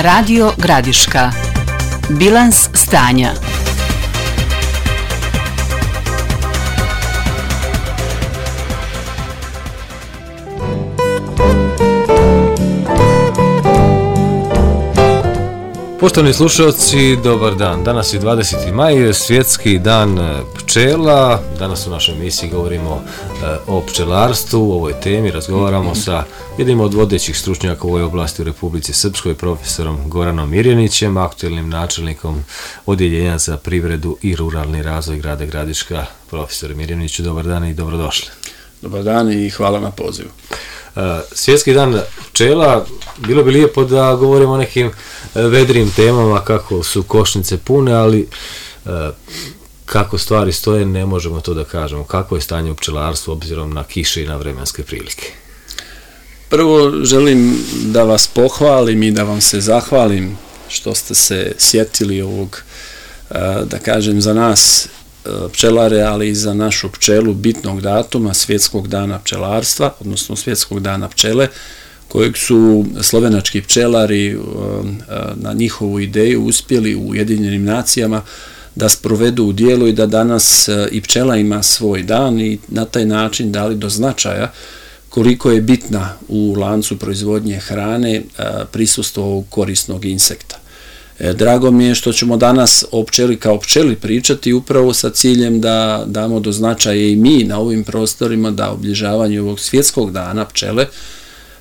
Radio Gradiška. Bilans stanja. Poštovani slušalci, dobar dan. Danas je 20. maj, svjetski dan pčela. Danas u našoj emisiji govorimo o pčelarstvu, o ovoj temi, razgovaramo sa jednim od vodećih stručnjaka u ovoj oblasti u Republici Srpskoj, profesorom Goranom Mirjanićem, aktuelnim načelnikom Odjeljenja za privredu i ruralni razvoj grada Gradiška. Profesore Mirjaniću, dobar dan i dobrodošli. Dobar dan i hvala na pozivu. Svjetski dan pčela, bilo bi lijepo da govorimo o nekim vedrim temama, kako su košnice pune, ali kako stvari stoje ne možemo to da kažemo. Kako je stanje u pčelarstvu obzirom na kiše i na vremenske prilike? Prvo želim da vas pohvalim i da vam se zahvalim što ste se sjetili ovog, da kažem, za nas pčelare, ali i za našu pčelu bitnog datuma, Svjetskog dana pčelarstva, odnosno Svjetskog dana pčele, kojeg su slovenački pčelari na njihovu ideju uspjeli u Ujedinjenim nacijama da sprovedu u djelo i da danas i pčela ima svoj dan i na taj način dali do značaja koliko je bitna u lancu proizvodnje hrane prisustvo ovog korisnog insekta. Drago mi je što ćemo danas o pčeli kao pčeli pričati upravo sa ciljem da damo do značaja i mi na ovim prostorima da obilježavanje ovog svjetskog dana pčele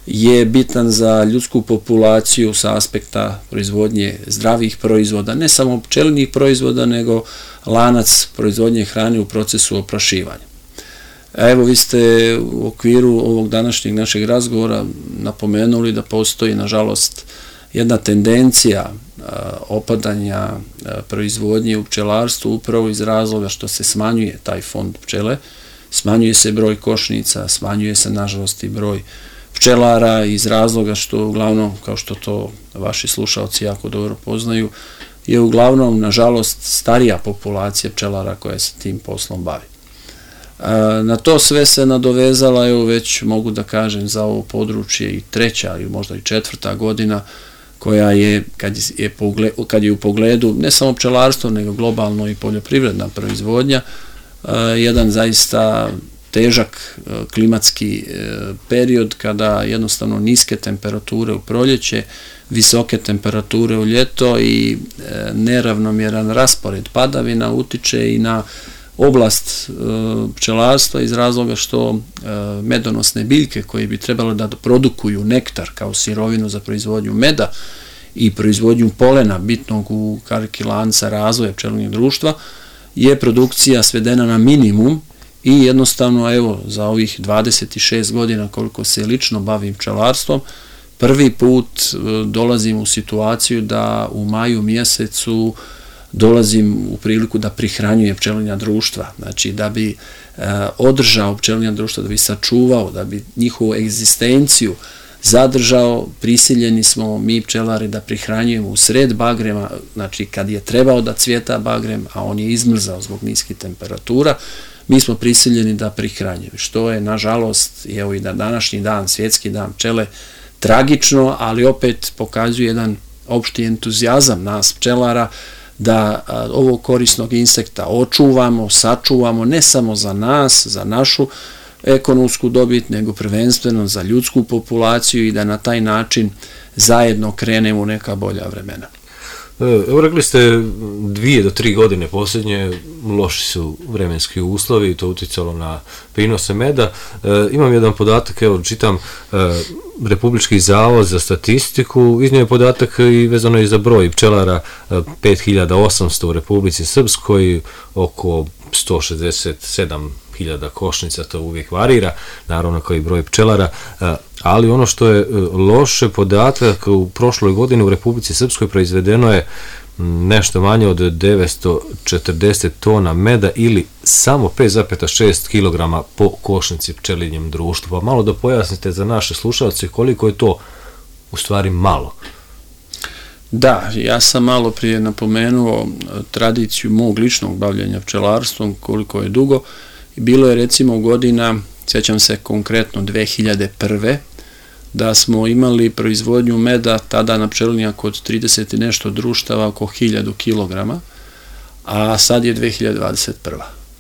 je bitan za ljudsku populaciju sa aspekta proizvodnje zdravih proizvoda, ne samo pčelinjih proizvoda, nego lanac proizvodnje hrane u procesu oprašivanja. Evo, vi ste u okviru ovog današnjeg našeg razgovora napomenuli da postoji, nažalost, jedna tendencija opadanja proizvodnje u pčelarstvu upravo iz razloga što se smanjuje taj fond pčele, smanjuje se broj košnica, smanjuje se, nažalost, i broj pčelara iz razloga što uglavnom, kao što to vaši slušalci jako dobro poznaju, je uglavnom, nažalost, starija populacija pčelara koja se tim poslom bavi. Na to sve se nadovezala, evo već mogu da kažem za ovo područje i treća ili možda i četvrta godina koja je, kad je u pogledu ne samo pčelarstvo, nego globalno i poljoprivredna proizvodnja, jedan zaista težak klimatski period kada jednostavno niske temperature u proljeće, visoke temperature u ljeto i neravnomjeran raspored padavina utiče i na oblast pčelarstva iz razloga što medonosne biljke koje bi trebalo da produkuju nektar kao sirovinu za proizvodnju meda i proizvodnju polena bitnog u kariki lanca razvoja pčelinjeg društva je produkcija svedena na minimum i jednostavno evo za ovih 26 godina koliko se lično bavim pčelarstvom prvi put dolazim u situaciju da u maju mjesecu dolazim u priliku da prihranjujem pčelinja društva, znači da bi održao pčelinja društva, da bi sačuvao, da bi njihovu egzistenciju zadržao, prisiljeni smo mi pčelari da prihranjujemo u sred bagrema, znači kad je trebao da cvjeta bagrem, a on je izmrzao zbog niskih temperatura, mi smo prisiljeni da prihranjujemo, što je nažalost, evo i na današnji dan, svjetski dan pčele, tragično, ali opet pokazuje jedan opšti entuzijazam nas pčelara da ovog korisnog insekta očuvamo, sačuvamo ne samo za nas, za našu ekonomsku dobit, nego prvenstveno za ljudsku populaciju i da na taj način zajedno krenemo u neka bolja vremena. Evo, rekli ste 2 do 3 godine posljednje loši su vremenski uslovi i to uticalo na prinose meda. Imam jedan podatak, evo čitam, Republički zavod za statistiku iznio je podatak i vezano je za broj pčelara, 5800 u Republici Srpskoj, oko 167.000 košnica, to uvijek varira, naravno kao i broj pčelara, ali ono što je loše podatak, u prošloj godini u Republici Srpskoj proizvedeno je nešto manje od 940 tona meda ili samo 5,6 kg po košnici pčelinjem društvu. Pa malo da pojasnite za naše slušalce koliko je to u stvari malo. Da, ja sam malo prije napomenuo tradiciju mog ličnog bavljenja pčelarstvom, koliko je dugo. Bilo je recimo godina, sjećam se konkretno 2001. da smo imali proizvodnju meda tada na pčelinjaku od 30 i nešto društava oko 1000 kilograma, a sad je 2021.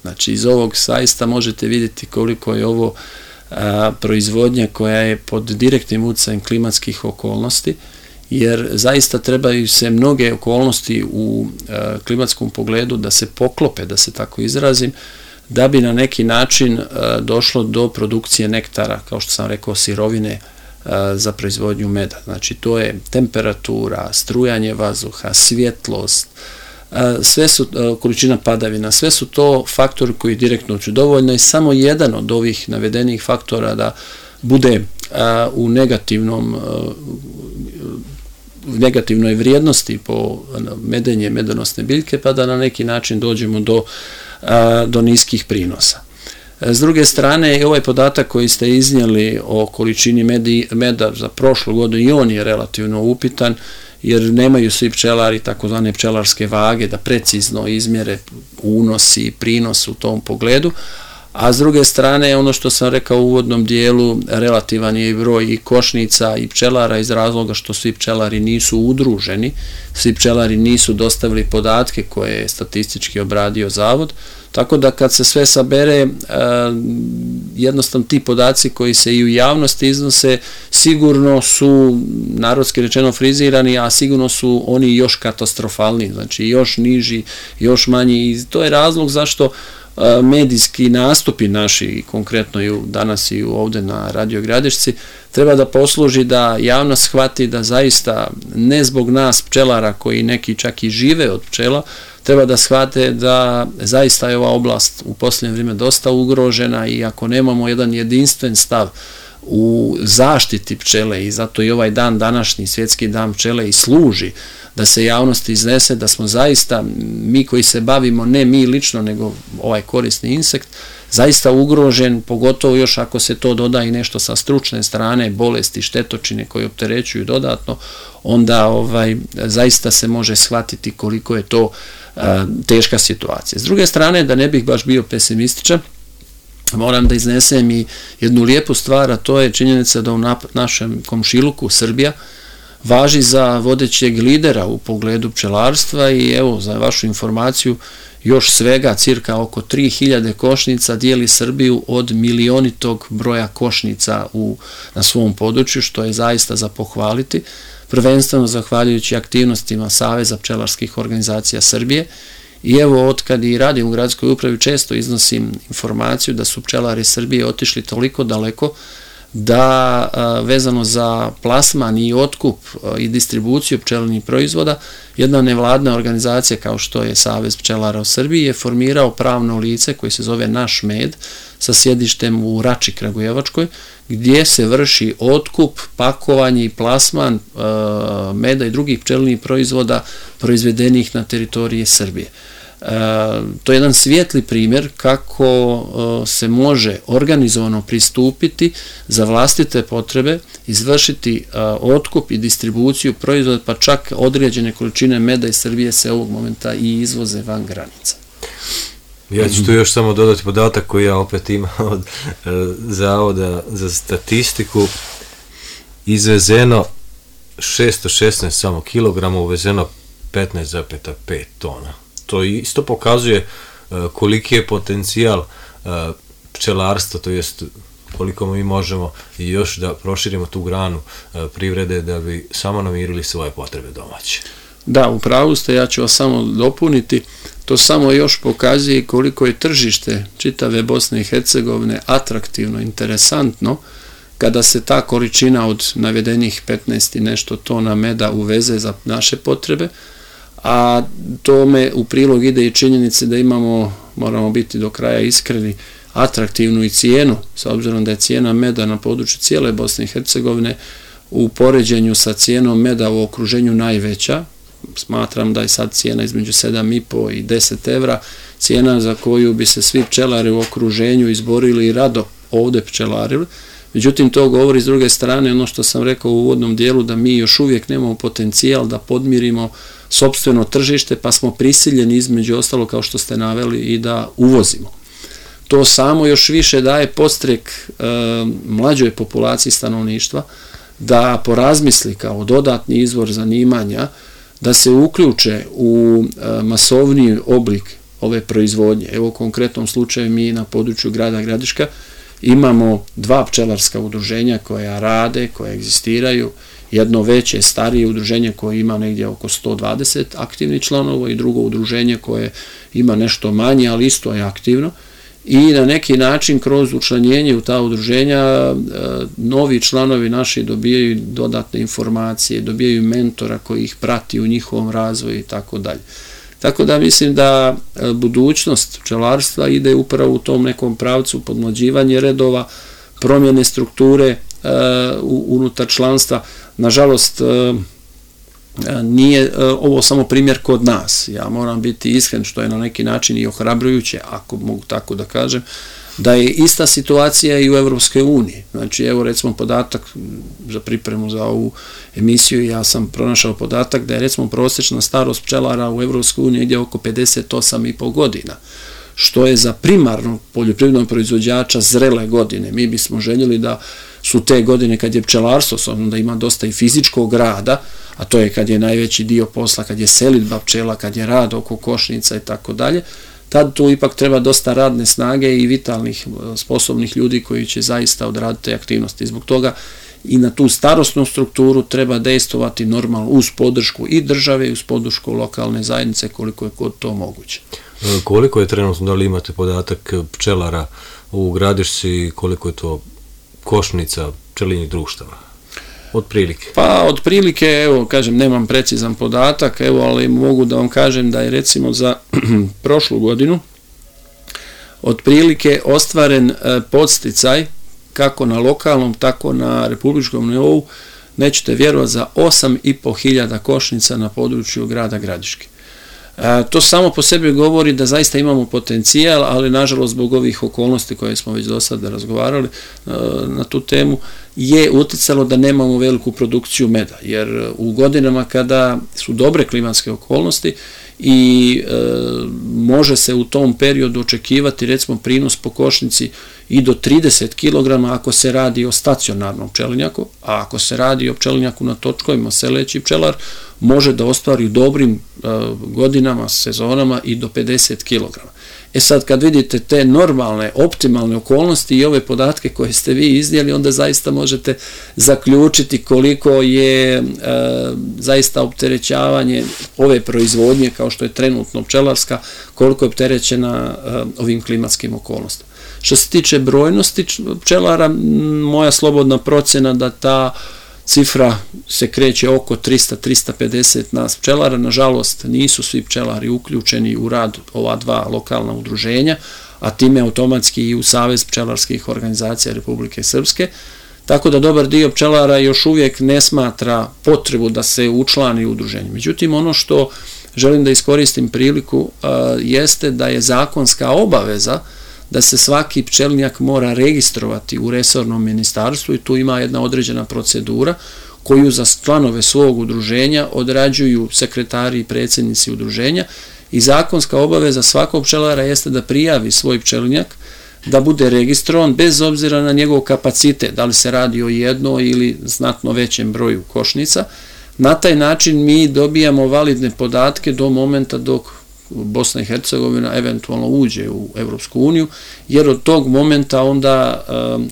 Znači iz ovog zaista možete vidjeti koliko je ovo proizvodnja koja je pod direktnim utjecajem klimatskih okolnosti, jer zaista trebaju se mnoge okolnosti u klimatskom pogledu da se poklope, da se tako izrazim, da bi na neki način došlo do produkcije nektara, kao što sam rekao, sirovine za proizvodnju meda. Znači to je temperatura, strujanje vazduha, svjetlost, sve su količina padavina, sve su to faktori koji direktno uču. Dovoljno je samo jedan od ovih navedenih faktora da bude u negativnoj vrijednosti po medenje medonosne biljke, pa da na neki način dođemo do niskih prinosa. S druge strane, ovaj podatak koji ste iznijeli o količini meda za prošlu godinu, i on je relativno upitan, jer nemaju svi pčelari takozvane pčelarske vage da precizno izmjere unos i prinos u tom pogledu, a s druge strane, ono što sam rekao u uvodnom dijelu, relativan je i broj i košnica i pčelara iz razloga što svi pčelari nisu udruženi, svi pčelari nisu dostavili podatke koje je statistički obradio zavod, tako da kad se sve sabere, jednostavno ti podaci koji se i u javnosti iznose sigurno su, narodski rečeno, frizirani, a sigurno su oni još katastrofalni, znači još niži, još manji, i to je razlog zašto medijski nastupi naši, konkretno i danas i ovdje na Radio Gradišci, treba da posluži da javnost shvati da zaista ne zbog nas pčelara koji neki čak i žive od pčela, treba da shvate da zaista je ova oblast u posljednje vrijeme dosta ugrožena, i ako nemamo jedan jedinstven stav u zaštiti pčele, i zato i ovaj dan današnji, Svjetski dan pčele, i služi da se javnost iznese da smo zaista, mi koji se bavimo, ne mi lično, nego ovaj korisni insekt, zaista ugrožen, pogotovo još ako se to doda i nešto sa stručne strane, bolesti, štetočine koje opterećuju dodatno, onda zaista se može shvatiti koliko je to teška situacija. S druge strane, da ne bih baš bio pesimističan, moram da iznesem i jednu lijepu stvar, a to je činjenica da u našem komšiluku Srbija važi za vodećeg lidera u pogledu pčelarstva, i evo, za vašu informaciju, još svega cirka oko 3000 košnica dijeli Srbiju od milionitog broja košnica na svom području, što je zaista za pohvaliti, prvenstveno zahvaljujući aktivnostima Saveza pčelarskih organizacija Srbije. I evo, otkad i radim u gradskoj upravi, često iznosim informaciju da su pčelari Srbije otišli toliko daleko da vezano za plasman i otkup i distribuciju pčelinjih proizvoda, jedna nevladna organizacija kao što je Savez pčelara u Srbiji je formirao pravno lice koje se zove Naš med, sa sjedištem u Rači Kragujevačkoj, gdje se vrši otkup, pakovanje i plasman meda i drugih pčelinjih proizvoda proizvedenih na teritoriji Srbije. To je jedan svijetli primjer kako se može organizovano pristupiti za vlastite potrebe, izvršiti otkup i distribuciju proizvoda, pa čak određene količine meda iz Srbije se ovog momenta i izvoze van granica. Ja ću tu još samo dodati podatak koji ja opet imam od Zavoda za statistiku. Izvezeno 616 samo kilograma, uvezeno 15,5 tona. To isto pokazuje koliki je potencijal pčelarstva, to jest koliko mi možemo još da proširimo tu granu privrede da bi samo namirili svoje potrebe domaće. Da, u pravu ste, ja ću vas samo dopuniti, to samo još pokazuje koliko je tržište čitave Bosne i Hercegovine atraktivno, interesantno, kada se ta količina od navedenih 15 i nešto tona meda uveze za naše potrebe, a tome u prilog ide i činjenice da imamo, moramo biti do kraja iskreni, atraktivnu i cijenu, s obzirom da je cijena meda na području cijele Bosne i Hercegovine u poređenju sa cijenom meda u okruženju najveća. Smatram da je sad cijena između 7,5 i 10 evra, cijena za koju bi se svi pčelari u okruženju izborili i rado ovdje pčelarili. Međutim, to govori s druge strane ono što sam rekao u uvodnom dijelu, da mi još uvijek nemamo potencijal da podmirimo sopstveno tržište, pa smo prisiljeni između ostalo, kao što ste naveli, i da uvozimo. To samo još više daje podstrek mlađoj populaciji stanovništva da porazmisli kao dodatni izvor zanimanja, da se uključe u masovniji oblik ove proizvodnje. Evo u konkretnom slučaju mi na području grada Gradiška imamo 2 pčelarska udruženja koja rade, koja egzistiraju, jedno veće, starije udruženje koje ima negdje oko 120 aktivnih članova i drugo udruženje koje ima nešto manje, ali isto je aktivno. I na neki način kroz učlanjenje u ta udruženja novi članovi naši dobijaju dodatne informacije, dobijaju mentora koji ih prati u njihovom razvoju i tako dalje. Tako da mislim da budućnost pčelarstva ide upravo u tom nekom pravcu podmlađivanja redova, promjene strukture unutar članstva. Nažalost, nije ovo samo primjer kod nas. Ja moram biti iskren, što je na neki način i ohrabrujuće, ako mogu tako da kažem, da je ista situacija i u Evropskoj uniji. Znači, evo recimo podatak za pripremu za ovu emisiju, ja sam pronašao podatak da je recimo prosječna starost pčelara u Evropskoj uniji negdje oko 58,5 godina, što je za primarnog poljoprivrednog proizvođača zrele godine. Mi bismo željeli da su te godine kad je pčelarstvo, s obzirom da ima dosta i fizičkog rada, a to je kad je najveći dio posla, kad je selidba pčela, kad je rad oko košnica i tako dalje, tad tu ipak treba dosta radne snage i vitalnih, sposobnih ljudi koji će zaista odraditi te aktivnosti. Zbog toga i na tu starosnu strukturu treba dejstvovati normalno uz podršku i države i uz podršku lokalne zajednice koliko je god to moguće. Koliko je trenutno, da li imate podatak pčelara u Gradišci, koliko je to košnica pčelinjih društava? Otprilike? Pa, otprilike, evo, kažem, nemam precizan podatak, evo, ali mogu da vam kažem da je recimo za prošlu godinu otprilike ostvaren podsticaj kako na lokalnom, tako na republičkom nivou, nećete vjerovati, za 8.500 košnica na području grada Gradiške. To samo po sebi govori da zaista imamo potencijal, ali nažalost zbog ovih okolnosti koje smo već do sada razgovarali na tu temu, je utjecalo da nemamo veliku produkciju meda, jer u godinama kada su dobre klimatske okolnosti i može se u tom periodu očekivati recimo prinos po košnici i do 30 kg ako se radi o stacionarnom pčelinjaku, a ako se radi o pčelinjaku na točkovima, seleći pčelar može da ostvari u dobrim godinama, sezonama i do 50 kg. E sad kad vidite te normalne, optimalne okolnosti i ove podatke koje ste vi iznijeli, onda zaista možete zaključiti koliko je zaista opterećavanje ove proizvodnje, kao što je trenutno pčelarska, koliko je opterećena ovim klimatskim okolnostima. Što se tiče brojnosti pčelara, moja slobodna procjena da ta cifra se kreće oko 300-350 nas pčelara. Nažalost, nisu svi pčelari uključeni u rad ova 2 lokalna udruženja, a time automatski i u Savez pčelarskih organizacija Republike Srpske. Tako da dobar dio pčelara još uvijek ne smatra potrebu da se učlani u udruženje. Međutim, ono što želim da iskoristim priliku jeste da je zakonska obaveza da se svaki pčelinjak mora registrovati u resornom ministarstvu i tu ima jedna određena procedura koju za članove svog udruženja odrađuju sekretari i predsjednici udruženja i zakonska obaveza svakog pčelara jeste da prijavi svoj pčelinjak, da bude registrovan bez obzira na njegov kapacitet, da li se radi o jednoj ili znatno većem broju košnica. Na taj način mi dobijamo validne podatke do momenta dok Bosna i Hercegovina eventualno uđe u Evropsku uniju, jer od tog momenta onda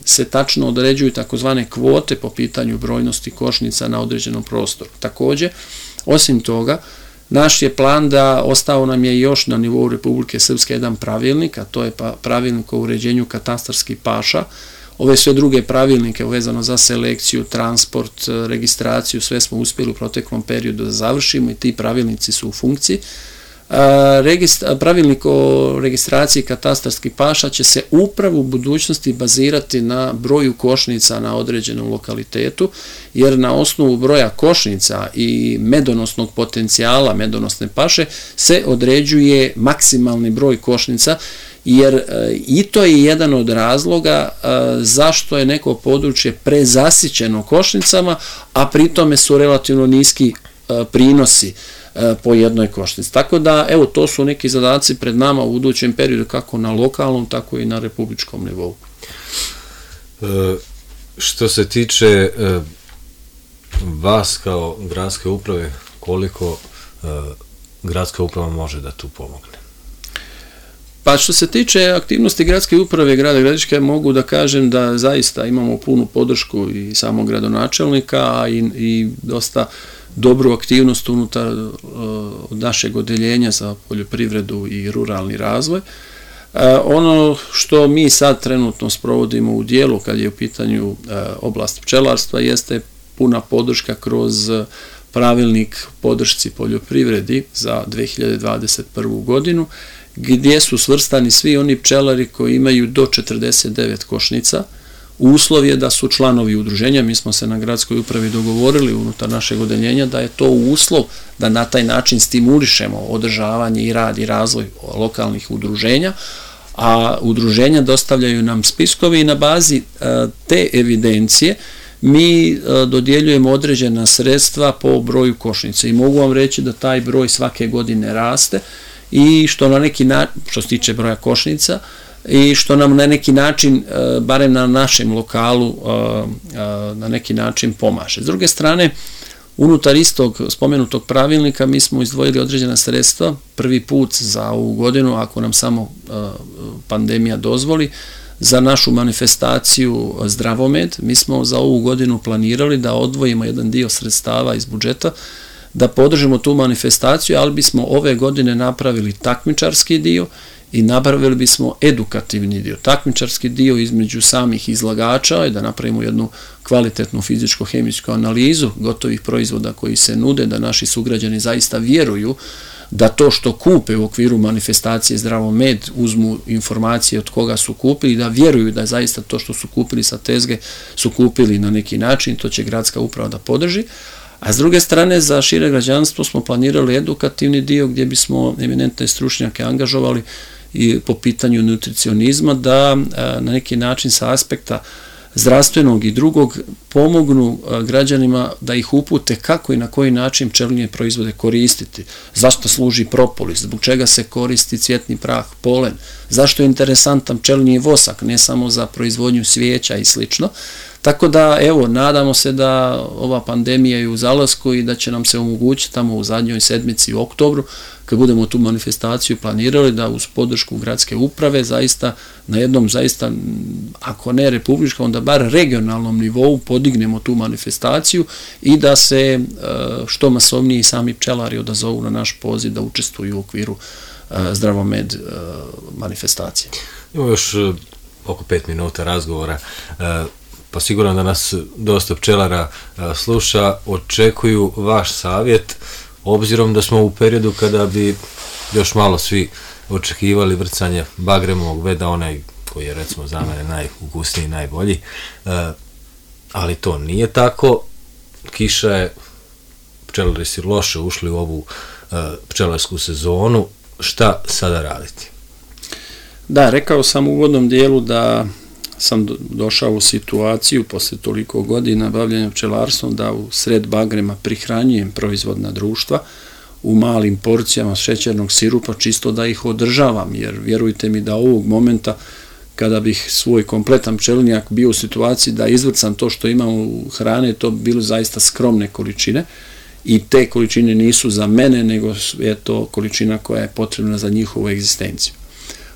se tačno određuju takozvane kvote po pitanju brojnosti košnica na određenom prostoru. Također, osim toga, naš je plan da ostao nam je još na nivou Republike Srpske jedan pravilnik, a to je pravilnik o uređenju katastarskih paša. Ove sve druge pravilnike vezano za selekciju, transport, registraciju, sve smo uspjeli u proteklom periodu da završimo i ti pravilnici su u funkciji. Pravilnik o registraciji katastarskih paša će se upravo u budućnosti bazirati na broju košnica na određenom lokalitetu, jer na osnovu broja košnica i medonosnog potencijala medonosne paše se određuje maksimalni broj košnica, jer i to je jedan od razloga zašto je neko područje prezasićeno košnicama, a pritome su relativno niski prinosi po jednoj košnici. Tako da, evo, to su neki zadaci pred nama u budućem periodu, kako na lokalnom, tako i na republičkom nivou. Što se tiče vas kao gradske uprave, koliko gradska uprava može da tu pomogne? Pa što se tiče aktivnosti gradske uprave grada Gradiške, mogu da kažem da zaista imamo punu podršku i samog gradonačelnika i dosta dobru aktivnost unutar našeg odeljenja za poljoprivredu i ruralni razvoj. Ono što mi sad trenutno sprovodimo u dijelu kad je u pitanju oblast pčelarstva jeste puna podrška kroz pravilnik podršci poljoprivredi za 2021. godinu, gdje su svrstani svi oni pčelari koji imaju do 49 košnica. Uslov je da su članovi udruženja, mi smo se na gradskoj upravi dogovorili unutar našeg odeljenja da je to uslov da na taj način stimulišemo održavanje i rad i razvoj lokalnih udruženja, a udruženja dostavljaju nam spiskovi i na bazi te evidencije mi dodjeljujemo određena sredstva po broju košnica i mogu vam reći da taj broj svake godine raste i što na neki način, što se tiče broja košnica, i što nam na neki način, barem na našem lokalu, na neki način pomaže. S druge strane, unutar istog spomenutog pravilnika mi smo izdvojili određena sredstva, prvi put za ovu godinu, ako nam samo pandemija dozvoli, za našu manifestaciju Zdravomed. Mi smo za ovu godinu planirali da odvojimo jedan dio sredstava iz budžeta, da podržimo tu manifestaciju, ali bismo ove godine napravili takmičarski dio i napravili bismo edukativni dio. Takmičarski dio između samih izlagača je da napravimo jednu kvalitetnu fizičko-hemijsku analizu gotovih proizvoda koji se nude, da naši sugrađani zaista vjeruju da to što kupe u okviru manifestacije Zdravomed uzmu informacije od koga su kupili, da vjeruju da zaista to što su kupili sa tezge su kupili na neki način, to će gradska uprava da podrži. A s druge strane, za šire građanstvo smo planirali edukativni dio gdje bismo eminentne stručnjake angažovali i po pitanju nutricionizma da na neki način sa aspekta zdravstvenog i drugog pomognu građanima da ih upute kako i na koji način pčelinje proizvode koristiti, zašto služi propolis, zbog čega se koristi cvjetni prah, polen, zašto je interesantan pčelinji vosak, ne samo za proizvodnju svijeća i slično. Tako da, evo, nadamo se da ova pandemija je u zalasku i da će nam se omogućiti tamo u zadnjoj sedmici u oktobru, kad budemo tu manifestaciju planirali, da uz podršku gradske uprave zaista na jednom, zaista, ako ne republičkom, onda bar regionalnom nivou podignemo tu manifestaciju i da se što masovniji sami pčelari odazovu na naš poziv da učestvuju u okviru Zdravomed manifestacije. Imamo još oko 5 minuta razgovora. Pa sigurno da nas dosta pčelara sluša, očekuju vaš savjet, obzirom da smo u periodu kada bi još malo svi očekivali vrcanje bagremovog meda, onaj koji je recimo za mene najukusniji i najbolji, ali to nije tako, kiša je, pčelari su loše ušli u ovu pčelarsku sezonu, šta sada raditi? Da, rekao sam u uvodnom dijelu da sam došao u situaciju posle toliko godina bavljenja pčelarstvom da u sred bagrema prihranjujem proizvodna društva u malim porcijama šećernog sirupa čisto da ih održavam, jer vjerujte mi da ovog momenta kada bih svoj kompletan pčelinjak bio u situaciji da izvrcam to što imam u hrane, to bi bilo zaista skromne količine i te količine nisu za mene, nego je to količina koja je potrebna za njihovu egzistenciju.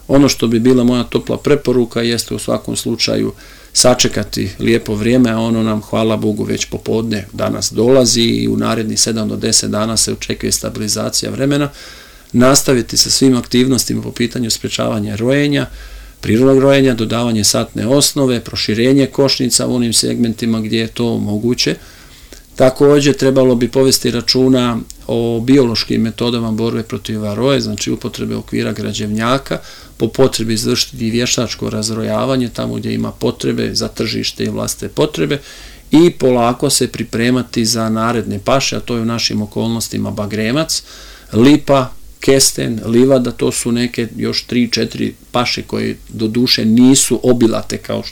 Ono što bi bila moja topla preporuka jeste u svakom slučaju sačekati lijepo vrijeme, a ono nam, hvala Bogu, već popodne danas dolazi i u narednih 7 do 10 dana se očekuje stabilizacija vremena, nastaviti sa svim aktivnostima po pitanju sprečavanja rojenja, prirodnog rojenja, dodavanje satne osnove, proširenje košnica u onim segmentima gdje je to moguće. Također trebalo bi povesti računa o biološkim metodama borbe protiv varoje, znači upotrebe okvira građevnjaka, po potrebi izvršiti vještačko razrojavanje tamo gdje ima potrebe za tržište i vlastite potrebe i polako se pripremati za naredne paše, a to je u našim okolnostima bagremac, lipa, kesten, livada, to su neke još 3-4 paše koje do duše nisu obilate kao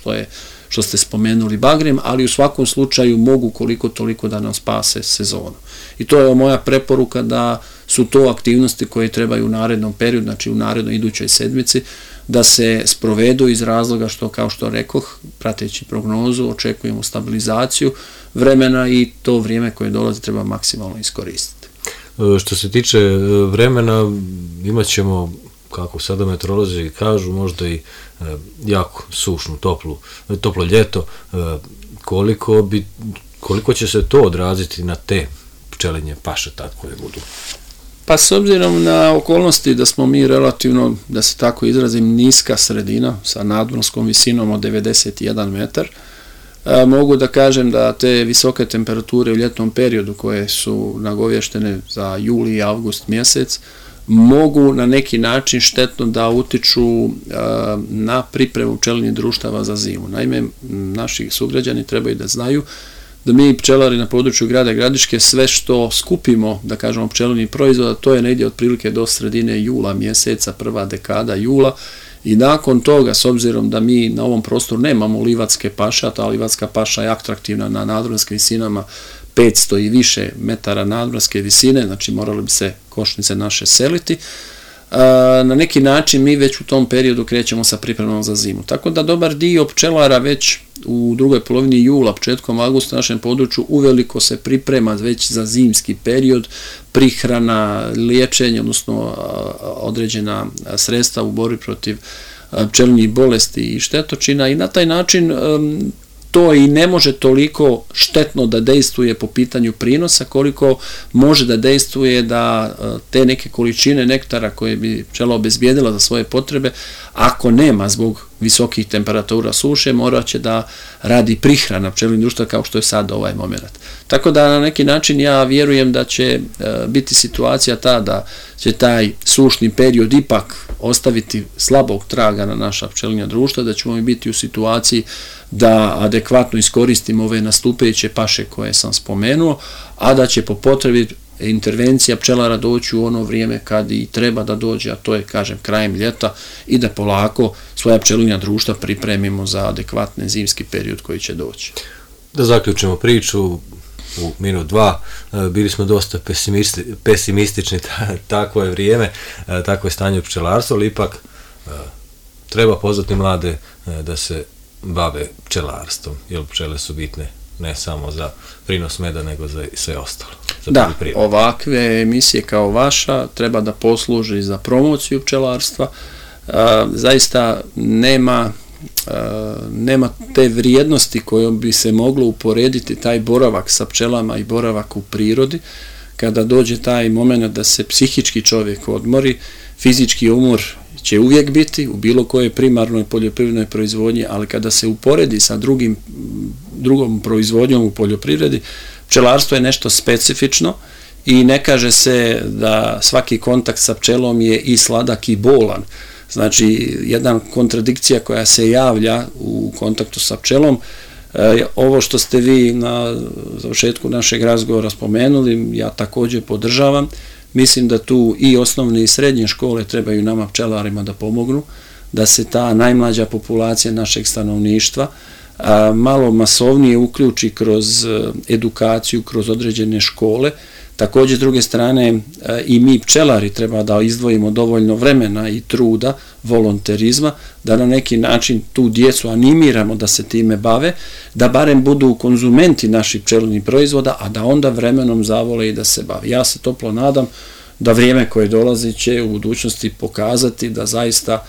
što ste spomenuli bagrem, ali u svakom slučaju mogu koliko toliko da nam spase sezonu. I to je moja preporuka da su to aktivnosti koje trebaju u narednom periodu, znači u narednoj idućoj sedmici, da se sprovedu iz razloga što, kao što rekoh, prateći prognozu, očekujemo stabilizaciju vremena i to vrijeme koje dolazi treba maksimalno iskoristiti. Što se tiče vremena, imat ćemo, kako sada meteorolozi kažu, možda i jako sušnu, toplo ljeto. Koliko će se to odraziti na te pčelinje paše tad koje budu? Pa s obzirom na okolnosti da smo mi relativno, da se tako izrazim, niska sredina sa nadmorskom visinom od 91 metar, mogu da kažem da te visoke temperature u ljetnom periodu koje su nagovještene za juli i avgust mjesec mogu na neki način štetno da utiču na pripremu pčelinjih društava za zimu. Naime, naši sugrađani trebaju da znaju da mi pčelari na području grada Gradiške sve što skupimo, da kažemo, pčelinjih proizvoda, to je negdje otprilike do sredine jula mjeseca, prva dekada jula, i nakon toga, s obzirom da mi na ovom prostoru nemamo livatske paše, a ta livatska paša je atraktivna na nadmorskim visinama 500 i više metara nadmorske visine, znači morali bi se košnice naše seliti, na neki način mi već u tom periodu krećemo sa pripremom za zimu. Tako da dobar dio pčelara već u drugoj polovini jula, početkom avgusta na našem području uveliko se priprema već za zimski period, prihrana, liječenje, odnosno određena sredstva u borbi protiv pčelinjih bolesti i štetočina, i na taj način to i ne može toliko štetno da dejstvuje po pitanju prinosa koliko može da dejstvuje da te neke količine nektara koje bi pčela obezbijedila za svoje potrebe, ako nema zbog visokih temperatura suše, morat će da radi prihrana pčelinjih društva kao što je sad ovaj moment. Tako da na neki način ja vjerujem da će biti situacija ta da će taj sušni period ipak ostaviti slabog traga na naša pčelinja društva, da ćemo biti u situaciji da adekvatno iskoristimo ove nastupeće paše koje sam spomenuo, a da će po potrebi intervencija pčelara doći u ono vrijeme kad i treba da dođe, a to je, kažem, krajem ljeta, i da polako svoja pčelinja društva pripremimo za adekvatni zimski period koji će doći. Da zaključimo priču u minut dva, bili smo dosta pesimistični, takvo je vrijeme, takvo je stanje u pčelarstvu, ali ipak treba pozvati mlade da se bave pčelarstvom, jer pčele su bitne ne samo za prinos meda, nego za sve ostalo. Da, ovakve emisije kao vaša treba da posluži za promociju pčelarstva. Zaista nema te vrijednosti kojom bi se moglo uporediti taj boravak sa pčelama i boravak u prirodi, kada dođe taj moment da se psihički čovjek odmori. Fizički umor će uvijek biti u bilo kojoj primarnoj poljoprivrednoj proizvodnji, ali kada se uporedi sa drugom proizvodnjom u poljoprivredi, pčelarstvo je nešto specifično i ne kaže se da svaki kontakt sa pčelom je i sladak i bolan. Znači, jedna kontradikcija koja se javlja u kontaktu sa pčelom, ovo što ste vi na završetku našeg razgovora spomenuli, ja također podržavam. Mislim da tu i osnovne i srednje škole trebaju nama pčelarima da pomognu, da se ta najmlađa populacija našeg stanovništva malo masovnije uključi kroz edukaciju, kroz određene škole. Također, s druge strane, i mi pčelari treba da izdvojimo dovoljno vremena i truda, volonterizma, da na neki način tu djecu animiramo da se time bave, da barem budu konzumenti naših pčelinjih proizvoda, a da onda vremenom zavole i da se bave. Ja se toplo nadam da vrijeme koje dolazi će u budućnosti pokazati da zaista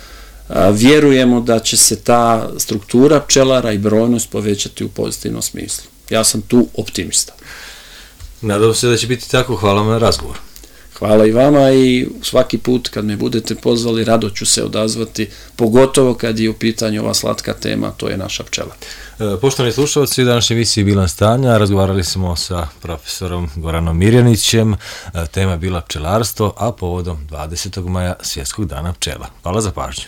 vjerujemo da će se ta struktura pčelara i brojnost povećati u pozitivnom smislu. Ja sam tu optimista. Nadam se da će biti tako. Hvala vam na razgovor. Hvala i vama, i svaki put kad me budete pozvali rado ću se odazvati, pogotovo kad je u pitanju ova slatka tema, to je naša pčela. Poštovani slušalci, u današnjoj emisiji Bilans stanja razgovarali smo sa profesorom Goranom Mirjanićem, tema je bila pčelarstvo, a povodom 20. maja Svjetskog dana pčela. Hvala za pažnju.